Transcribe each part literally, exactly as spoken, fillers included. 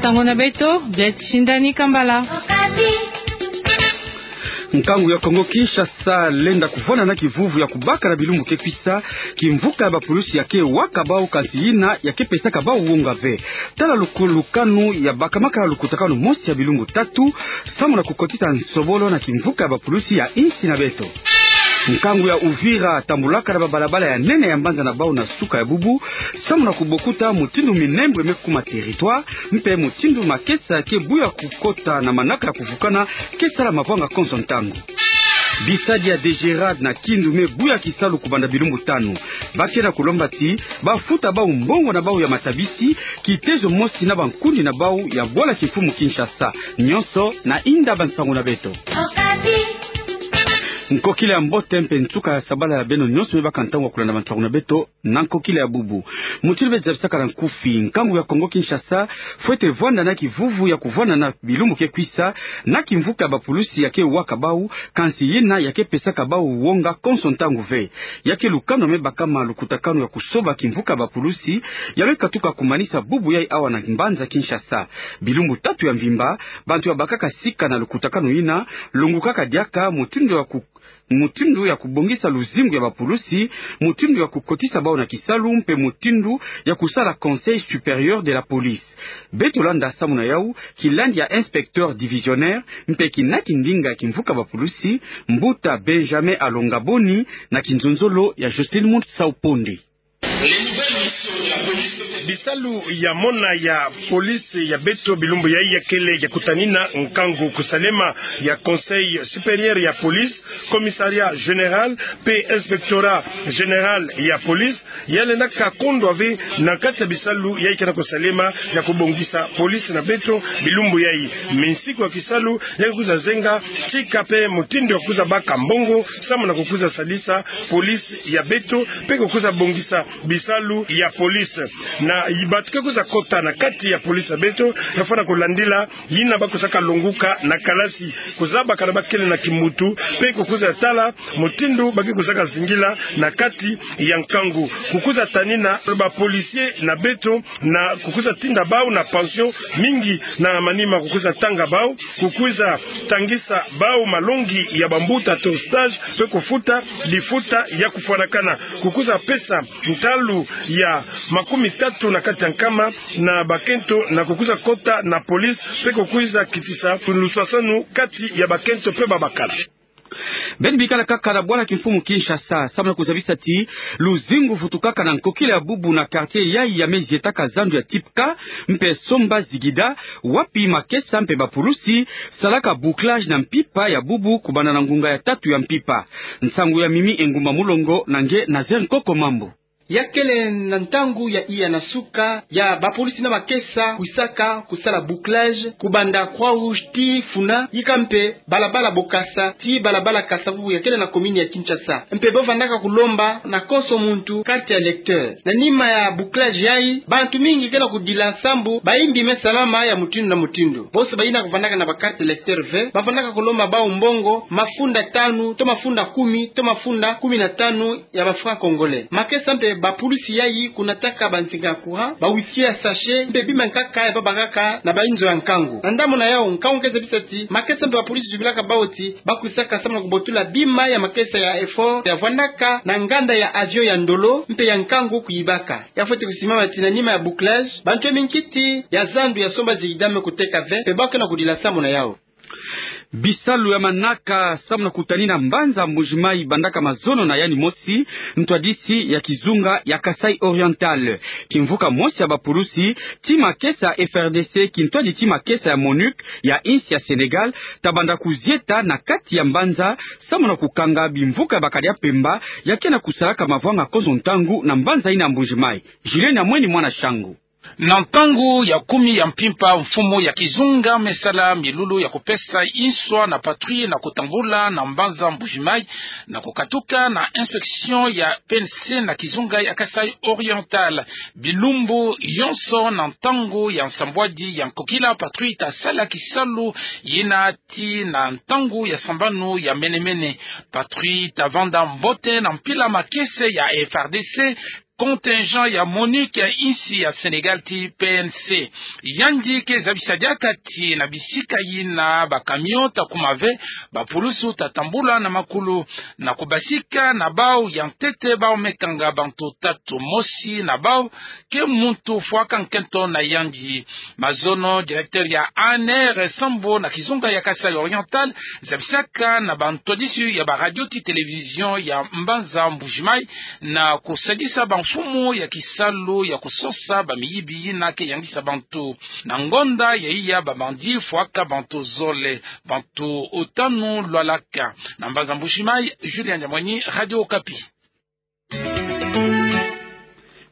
Nsangu na beto, Betty Shindani Kambala. Nkangu ya Kongo Kinshasa lenda kuvwanda na kivuvu ya kubaka na bilumbu ke kwisa kimvuka ya bapulusi ya ke waka bau, kansi yina ya ke pesaka bau wonga ve. Tala luku-, lukanu ya bakamaka lukutakanu mosi ya bilumbu tatu, samu na kukotisa nsobolo na kimvuka ya bapulusi ya insi na beto. Nkangu ya Uvira tambulaka na babalabala ya nene ya mbanza na bau na suka ya bubu, samu na kubokuta mutindu minembwe me kuma territoire, mpe mutindu makesa ke buya kukota na manaka ya kuvukana ke sala mavanga konso ntangu. Bisadi ya DGRAD na Kindu me buya kisalu kubanda bilumbu tanu. Ba ke na kulomba ti bafuta bau mbongo na bau ya matabisi, kitezo mosi na bankundi na bau ya bwala kimfumu Kinshasa. Nyonso na inda bansangu na beto. Nkokila ya mbote mpe nsuka ya sabala ya beno nyonso me baka ntangu ya kulanda bansangu na beto na nkokila ya bubu. Mutindu beno zabisaka na nkufi, nkangu ya Kongo Kinshasa fwete vwanda na kivuvu ya kuvwanda na bilumbu ke kwisa na kimvuka ya bapulusi ya ke waka bau, kansi yina ya ke pesaka bau wonga konso ntangu ve. Ya ke lukanu me bakama lukutakanu ya kusoba kimvuka ya bapulusi ya me katuka kumanisa bubu yai awa na mbanza Kinshasa. Bilumbu tatu ya mvimba, bantu ya bakaka sika na lukutakanu yina, longukaka diaka mutindu ya ku-, mutindu ya kubongisa luzingu ya bapulusi, mutindu ya kukotisa bau na kisalu, mpe mutindu ya kusala Conseil Supérieur de la Police. Beto landa samu na yau kilandi ya inspecteur divisionnaire, mpe kina kindinga ya kimvuka bapulusi, mbuta Benjamin Alonga Boni, na kinzonzolo ya Jocelyne Munsau Ponde. Bisalu ya mona ya police ya beto bilumbu yai ya kele ya kutanina nkangu kusalema ya Conseil Supérieur ya Police, Commissariat Général, mpe Inspectorat Général ya Police, ya lenda kakondwa ve na kati ya bisalu yai ke na kusalema ya kubongisa police na beto bilumbu yai. Minsiku ya kisalu ya kukwiza zenga tika mpe mutindu ya kukwiza baka mbongo, samu na kukwiza salisa police ya beto, mpe kukwiza bongisa bisalu ya police. Na bantu ke kwiza kota na kati ya police ya beto, ya fwana kulandila yina ba kwizaka longuka na kalasi, kuzabaka na ba kele na kimbutu, mpe kukwiza tala mutindu ba ke kwizaka zingila na kati ya nkangu. Kukwiza tanina ba policiers na beto, na kukwiza tinda bau na pension mingi na manima, kukwiza tanga bau, kukwiza tangisa bau malongi ya bambuta to stage, mpe kufuta lifuta ya kufwanakana, kukwiza pesa ntalu ya makumi tatu na kati ya nkama na bakento, na kukwiza kota na police, mpe kukwiza kitisa luswaswanu kati ya bakento mpe babakala. Beno bikala kaka na bwala kimfumu Kinshasa, samu na kuzabisa ti luzingu vutukaka na nkokila ya bubu na quartier yai ya me zietaka zandu ya Tipka mpe Somba Zigida, wapi makesa mpe bapulusi salaka bouclage na mpimpa ya bubu kubanda na ngunga ya tatu ya mpimpa. Nsangu ya Mimi Engumba Mulongo na nge Nazaire Nkoko Mambu. Ya kele na ntangu ya iya na suka ya bapulusi na makesa kwisaka kusala bouclage kubanda Croix-Rouge tii funa, yika mpe balabala Bokassa tii balabala Kasa-Vubu ya kele na commune ya Kinshasa. Mpe ba vandaka kulomba na konso muntu carte électeur. Na nima ya bouclage yai, bantu mingi ke na kudila sambu bayimbi me salama ya mutindu na mutindu. Bonso bayina kuvandaka na ba carte électeur ve, ba vandaka kulomba bau mbongo mafunda tanu, to mafunda kumi, to mafunda kumi na tanu ya ba francs congolais. Makesa mpe bapulusi yai kunataka bansinga ya courant, ba huissier ya sachet, mpe bima nkaka ya ba bakaka na bainzo ya nkangu. Na ndambu na yau, nkangu ke zabisa ti makesa mpe bapulusi zubilaka bau ti ba kwisaka samu na kubotula bima ya makesa ya effort ya vandaka na nganda ya avion ya ndolo mpe ya nkangu kuyibaka. Ya fwete kusimama ti na nima ya bouclage, bantu ya minkiti ya zandu ya Somba Zigida me kuteka ve, mpe bau ke na kudila samu na yau. Bisalu ya manaka samu na kutanina mbanza Mbuji-Mayi bandaka mazono na yandi mosi, ntwadisi ya kizunga ya Kasaï Oriental. Kimvuka mosi ya bapulusi tii makesa F R D C, kintwadi tii makesa ya MONUC ya insi ya Sénégal, ta banda kuzieta na kati ya mbanza samu na kukanga bimvuka ya bakadi ya mpemba ya ke na kusalaka mavanga konso ntangu na mbanza yina ya Mbuji-Mayi. Julien Nyamweni, mwana Shangu. Na ntangu ya kumi ya mpimpa, mfumu ya kizunga me sala milulu ya kupesa inswa na patrouille na kutambula na mbanza Mbuji-Mayi, na kukatuka na inspection ya P N C na kizunga ya Kasaï Oriental. Bilumbu yonso na ntangu ya nsambwadi ya nkokila, patrouille ta sala kisalu yina tii na ntangu ya sambanu ya mene-mene. Patrouille ta vanda mbote na mpila makesa ya F R D C, contingent ya MONUC ya insi ya Sénégal ti P N C. Yandi ke zabisa diaka ti na bisika yina ba camion ta kuma ve, ba pulusi uta tambula na makulu. Na kubasika na bau ya ntete, bau me kanga bantu tatu. Mosi na bau ke muntu fwaka nkento na yandi. Mazono, directeur ya A N R, sambo na kizunga ya Kasaï Oriental, zabisaka na bantwadisi ya ba radio ti télévision ya mbanza Mbuji-Mayi na kusadisa bamfumu ya kisalu ya kusosa bamiyibi yina ke yangisa bantu. Na ngonda ya iya, ba bandits fwaka bantu zole, bantu tanu lwalaka. Na mbanza Mbuji-Mayi, Julien Diamweny, Radio Okapi.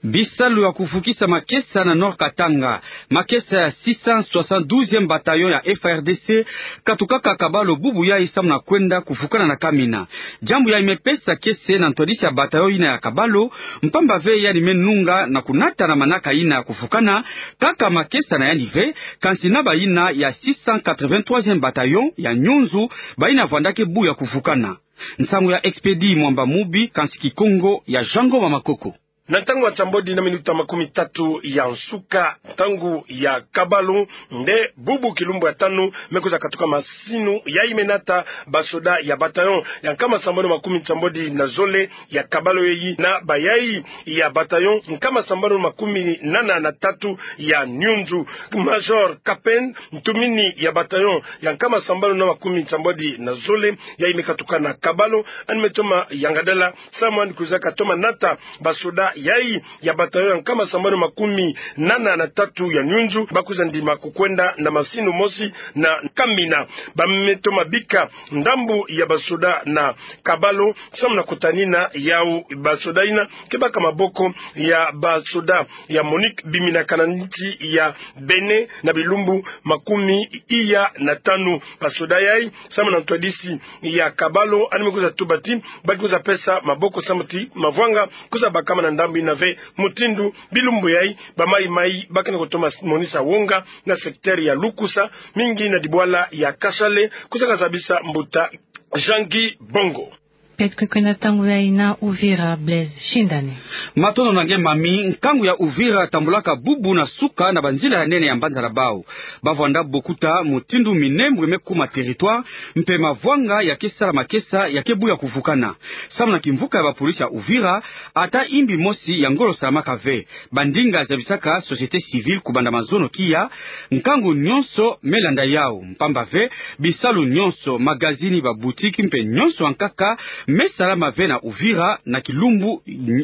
Bisalu ya kufukisa makesa na Nord-Katanga. Makesa ya six cent soixante-douzième bataillon ya F A R D C katukaka Kabalo bubu yayi samu na kwenda kufukana na Kamina. Diambu yayi me pesa kiese na ntwadisi ya bataillon yina ya Kabalo, mpamba ve yandi me nunga na kunata na manaka yina ya kufukana kaka makesa na yandi ve, kansi na bayina ya six cent quatre-vingt-troisième bataillon ya Nyunzu, bayina vwandaka bu ya kufukana. Nsangu ya Expédit Mwamba Mubi, kansi Kikongo ya Jean Ngoma Makoko. Na ntangu ya nsambwadi na minuta makumi tatu ya nsuka, ntangu ya Kabalo, nde bubu kilumbu ya tanu me kwiza katuka masinu yayi me nata basoda ya bataillon ya nkama sambanu makumi nsambwadi na zole ya Kabalo yayi na bayayi ya bataillon nkama sambanu makumi nana na tatu ya Nyunzu. Major Kapen, ntumini ya bataillon ya nkama sambanu na makumi nsambwadi na zole, yayi me katuka na Kabalo, yandi me toma yangadala samu yandi kwiza katoma nata basoda yayi ya bataillon ya nkama sambanu makumi nana na tatu ya Nyunzu, ba kwiza ndima kukwenda na masinu mosi na Kamina. Ba me toma bika ndambu ya basoda na Kabalo samu na kutanina yawu basoda yina ke baka maboko ya basoda ya MONUC biminaka na nsi ya Bénin na bilumbu makumi iya na tanu. Basoda yayi, samu na ntwadisi ya Kabalo, yandi me kwiza tuba ti ba ke kwiza pesa maboko samu ti mavwanga kwiza bakama na ndambu yina ve, mutindu bilumbu yayi ba mayi-mayi ba ke na kutoma monisa wonga na secteur ya Lukusa, mingi na dibwala ya Kasale, kwiza kazabisa mbuta Jean-Guy Bongo. Beto ke kwenda ntangu yayi na Uvira, Blaise Shindani. Matondo na nge mami. Nkangu ya Uvira tambulaka bubu na suka na banzila ya nene ya mbanza na bau. Ba vwanda bokuta mutindu minembwe me kuma territoire, mpe mavwanga ya ke sala makesa ya ke bu ya kuvukana. Samu na kimvuka ya bapolisi ya Uvira, ata imbi mosi ya ngolo salamaka ve. Bandinga zabisaka société civile kubanda mazono kiya, nkangu nyonso me landa yawu, mpamba ve bisalu nyonso, magazini, baboutique mpe nyonso ya nkaka me salama ve na Uvira na kilumbu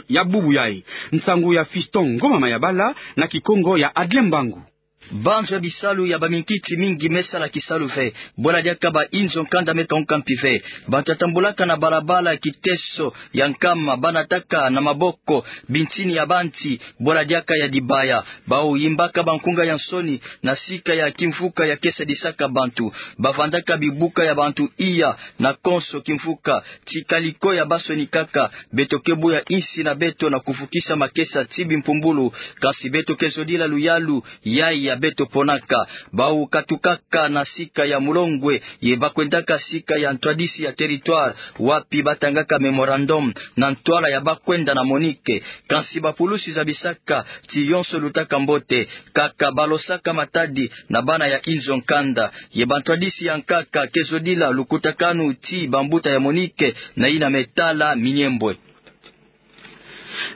ya bubu yayi. Nsangu ya Fiston Ngoma Mayabala na Kikongo ya Adrien Mbangu. Banzo ya bisalu ya baminkiti mingi me sala kisalu ve. Bwala diaka ba inzo nkanda me kanguka mpi ve. Bantu ya tambulaka na balabala kiteso ya nkama ba nataka na maboko bintini ya banti, bwala diaka ya dibaya. Bau yimbaka bankunga ya nsoni na sika ya kimvuka ya ke sadisaka bantu. Ba vandaka bibuka ya bantu iya na konso kimvuka. Ti kaliko ya ba sonikaka, beto ke buya insi na beto na kuvukisa makesa ti bimpumbulu, kansi beto ke zodila luyalu yayi ya beto ponaka. Bau katukaka na sika ya mulongwe, ye ba kwendaka sika ya ntwadisi ya territoire, wapi ba tangaka mémorandum na ntwala ya ba kwenda na MONUC. Kansi bapulusi zabisaka ti yonso lutaka mbote, kaka ba losaka matadi na bana ya inzo nkanda. Ye bantwadisi ya nkaka ke zodila lukutakanu ti bambuta ya MONUC na yina me tala minyembwe.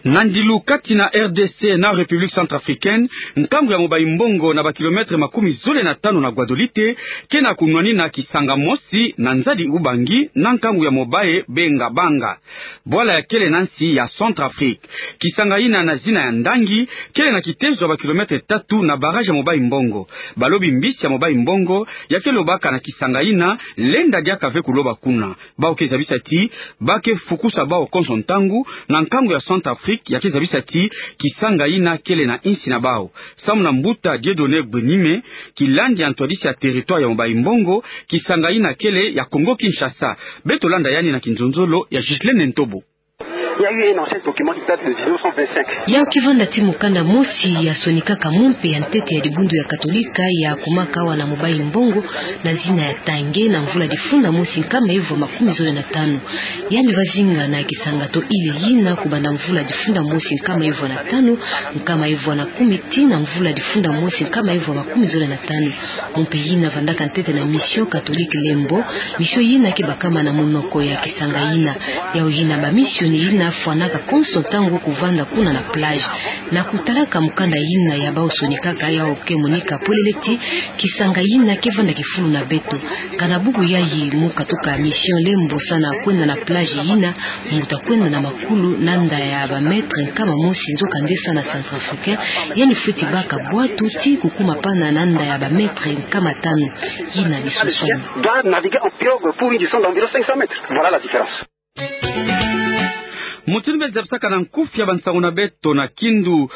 Na ndilu kati na R D C na République Centrafricaine, nkangu ya Mobayi-Mbongo na ba kilomètre makumi zole na tanu na Guadolite, ke na kunwanina kisanga mosi na nzadi Ubangi na nkangu ya Mobaye Bengabanga. Bwala ya kele na nsi ya Centrafrique. Kisanga yina na zina ya Ndangi, kele na kitezo ya ba kilomètre tatu na barrage ya Mobayi-Mbongo. Balobi mbisi ya Mobayi-Mbongo ya ke lobaka na kisanga yina, lenda diaka ve kuloba kuna. Bau ke zabisa ti ba ke fukusa bau konso ntangu, na nkangu ya Centrafrique ya ke zabisa ti kisanga yina kele na insi na bau. Samu na mbuta Dieudonné Gbenime, kilandi ya ntwadisi ya territoire ya Mobayi-Mbongo, kisanga yina kele ya Congo-Kinshasa. Beto landa yandi na kinzonzolo ya Ghislaine Ntobo. Il y a eu un ancien document qui date de mille neuf cent vingt-cinq. Yawu kivanda ti mukanda mosi yasonikaka mompe ya ntete ya dibundu ya Katolika yakumaka awa na Mobayi-Mbongo na zina ya Tange na mvula difunda mosi nkama evu ya makumi zole na tanu. Yandi va zinga na kisanga to île yina kubanda mvula difunda mosi nkama evu na tanu, nkama evu na kumi tii na mvula difunda mosi nkama evu ya makumi zole na tanu. Mompe yina vandaka ntete na Mission Catholique Lembo, mission yina ke bakama na munoko ya kisanga yina. Yawu yina ba mission yina fwanaka konso ntangu kuvanda kuna na plage. Na kutalaka mukanda yina ya bawu sonikaka, yawu ke monika polele ti kisanga yina ke vanda kifulu na beto. Kana bubu yayi mu katuka Mission Lembo sa na kwenda na plage yina, mbuta kwenda na makulu na nda ya ba mètre nkama mosi, nzokande sa na Centrafricain, yandi fweti baka bwatu ti kukuma pana na nda ya ba mètre nkama tanu. Yina disoswani. Doit naviguer en pirogue pour une distance d'environ cinq cents mètres. Voilà la différence. Mutindu beno zabisaka na nkufi ya bansangu na beto na Kindu,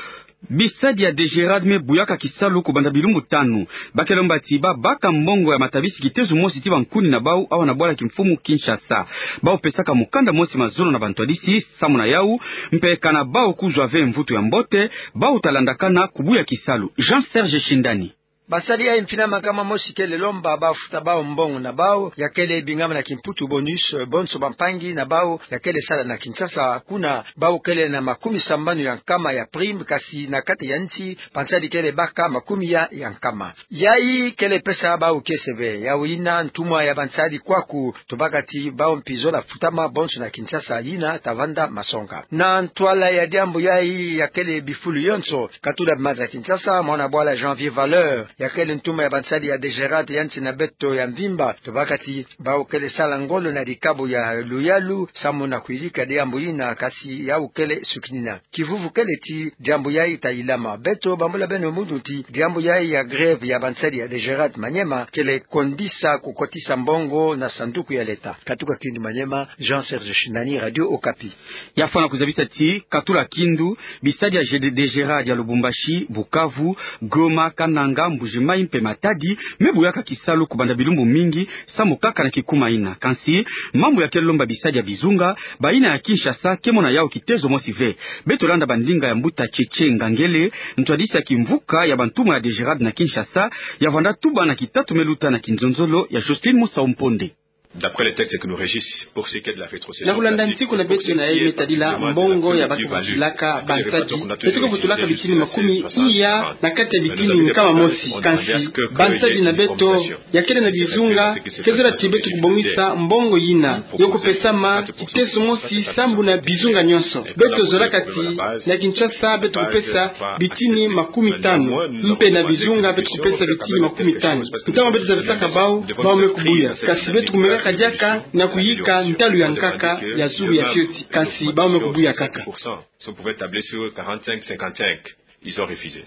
bisadi ya DGRAD me buyaka kisalu kubanda bilumbu tanu. Ba ke lomba ti babaka mbongo ya matabisi kitezo mosi ti bankuni na bawu awa na bwala kimfumu Kinshasa. Bawu pesaka mukanda mosi mazono na bantwadisi, samu na yawu, mpe kana bawu kuzwa ve mvutu ya mbote, bawu ta landakana kubuya kisalu. Jean Serge Shindani. Basadi ya mpina makama mosi kele lomba bafuta bawu mbongo na bawu, ya kele bingama na kimputu bonus, bonso bampangi na bawu ya kele sala na Kinshasa, kuna bawu kele na makumi sambanu ya nkama ya prime, kasi na kati ya nsi, bansadi kele baka makumi ya ya nkama. Yayi kele pesa bawu kiese bê. Yawu yina ntumwa ya bansadi kwaku, tubaka ti bawu mpi zola futama bonso na Kinshasa, yina ta vanda masonga. Na ntwala ya diambu yayi ya kele bifulu yonso, katula maza Kinshasa, mwana bwala Janvier Valeur, ya kele ntumwa ya bansadi ya DGRAD ya nsi na beto ya mvimba, tubaka ti bawu kele sala ngolo na dikabu ya luyalu, samu na kuyidika diambu yina, kasi yawu kele sukinina. Kivuvu kele ti diambu yayi ta yilama. Beto bambula beno munu ti diambu yayi ya grève ya bansadi ya DGRAD Maniema kele kondisa kukotisa mbongo na sanduku ya leta. Katuka Kindu Maniema, Jean Serge Shindani, Radio Okapi. Ya fwana kuzabisa ti katula Kindu, bisadi ya G D, DGRAD ya Lubumbashi, Bukavu, Goma, Kananga, Mbuji-Mayi mpe Matadi me buyaka kisalu kubanda bilumbu mingi, samu kaka na kikuma yina. Kansi mambu ya ke lomba bisadi ya bizunga, bayina ya Kinshasa ke mona yawu kitezo mosi ve. Beto landa bandinga ya mbuta Tchétché Ngangele, ntwadisi ya kimvuka ya bantumwa ya DGRAD na Kinshasa, ya vanda tuba na kitatu me luta na kinzonzolo ya Jocelyne Musau Mponde. D'après les textes qui nous régissent, pour ce qui est de la rétrocession classique, na kulanda ntiku na beto na yayi me tadila mbongo ya bato vutulaka bansadi, beto ke vutulaka bitini makumi iya na kati ya bitini nkama mosi. Kansi bansadi na beto ya kele na bizunga, ke zola ti beto kubongisa mbongo yina. Yo kupesama kitezo mosi sambu na bizunga nyonso. Beto zolaka ti na Kinshasa beto kupesa bitini makumi tanu, mpe na bizunga beto kupesa bitini makumi tanu. Ntangu beto zabisaka bawu, bawu me kubuya. Kasi beto kumekaka diaka na kuyika ntalu ya nkaka ya zulu ya fioti. Kansi bawu me kubuya kaka. Si on pouvait tabler sur quarante-cinq cinquante-cinq, ils ont refusé.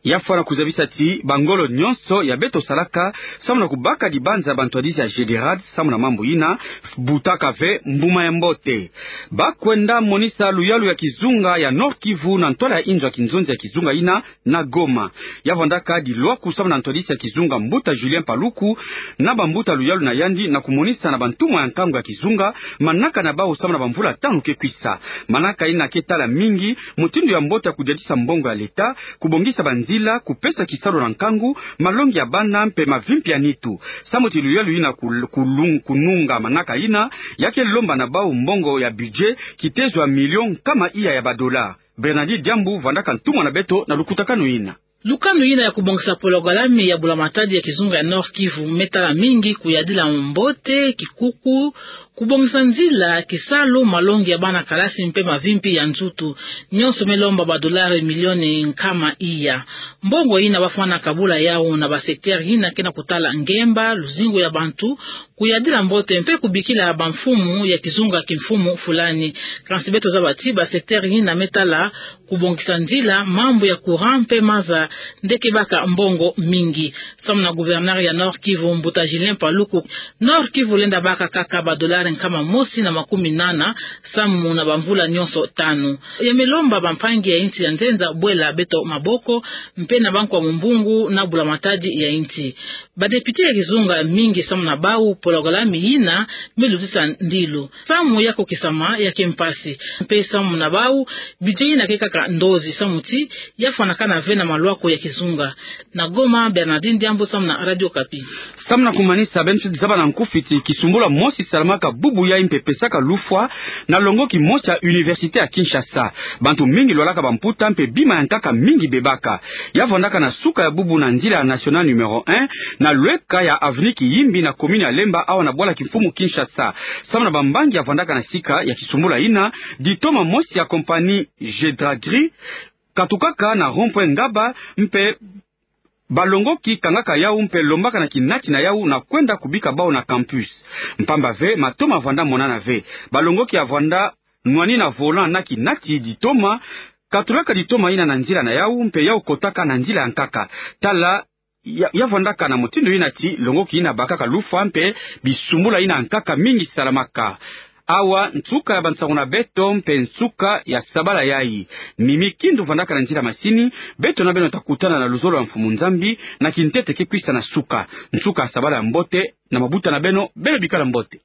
Ya fwana kuzabisa ti bangolo nyonso ya beto salaka samu na kubaka dibanza bantwadisi ya GDRAD samu na mambu yina, butaka ve mbuma ya mbote. Ba kwenda monisa luyalu ya kizunga ya Nord-Kivu na ntwala ya inzo ya kinzonzi ya kizunga yina na Goma. Ya vandaka dilwaku samu na ntwadisi ya kizunga mbuta Julien Paluku na bambuta luyalu na yandi na kumonisa na bantumwa ya nkangu ya kizunga manaka na bawu samu na bamvula tanu ke kwisa. Manaka yina ke tala mingi mutindu ya mbote ya kudiatisa mbongo ya leta, kubongisa banzila, kupesa kisalu na nkangu, malongi ya bana mpe mavimpi ya nitu. Samu ti luyalu yina kul-, kulung-, kununga manaka yina, ya ke lomba na bawu mbongo ya budget kitezo ya million nkama iya ya badola. Bernadette Diambu vandaka ntumwa na beto na lukutakanu yina. Lukanu yina ya kubongisa pologalame ya bula matadi ya kizunga ya Nord-Kivu me tala mingi kuyadila mbote, kikuku, kubongisa nzila, kisalu, malongi ya bana kalasi mpe mavimpi ya nzutu. Nyonso me lomba badolari milioni nkama iya. Mbongo yina ba fwana kabula yawu na ba secteur yina ke na kutala ngemba, luzingu ya bantu, kuyadila mbote mpe kubikila bamfumu ya kizunga kimfumu fulani. Kansi beto zaba ti ba secteur yina me tala kubongisa nzila, mambu ya courant mpe maza nde ke baka mbongo mingi. Samu na gouverneur ya Nord-Kivu mbuta Julien Paluku, Nord-Kivu lenda baka kaka badolari nkama mosi na makumi nana samu na bamvula nyonso tanu. Ya me lomba bampangi ya insi ya nzenza bwela beto maboko mpe na bankwa mumbungu na bula matadi ya insi. Ba député ya kizunga mingi samu na bawu Programme yina me lutisa ndilo. Samu ya kokisama ya ke mpasi. Mpe samu na bau, budget yina ke kaka ndozi samu ti ya fwanakana ve na malwako ya kizunga. Na Goma, Bernardine Diambu samu na Radio Okapi. Samu na kumanisa, beno tuzaba na nkufi ti kisumbula mosi salamaka bubu yayi mpe pesaka lufwa na longoki mosi ya Université ya Kinshasa. Bantu mingi lwalaka bamputa mpe bima ya nkaka mingi bebaka. Ya vwandaka na suka ya bubu na nzila ya Nationale numéro un, na lweka ya avenue Kiyimbi na commune ya Lemba, awa na bwala kimfumu Kinshasa. Samu na bambangi ya vwandaka na sika ya kisumbula yina, ditoma mosi ya compagnie Gedragri katukaka na rond-point Ngaba, mpe balongoki kangaka yau mpe lombaka na kinati na yau na kwenda kubika bau na campus. Mpamba ve, matoma vwanda monana ve. Balongoki ya vwanda nwani na volant na kinati ditoma, katulaka ditoma yina na nzila na yau mpe yau kotaka na nzila ya nkaka. Tala ya, ya vwandaka na mutindu yina ti longoki yina bakaka lufwa mpe bisumbula yina nkaka mingi salamaka. Awa nsuka ya bansangu na beto mpe nsuka ya sabala yayi. Mimi Kindu vwandaka na nzila masini, beto na beno takutana na luzolo ya Mfumu Nzambi na kintete ke kwisa na suka. Nsuka ya sabala ya mbote na mabuta na beno, beno bikala mbote.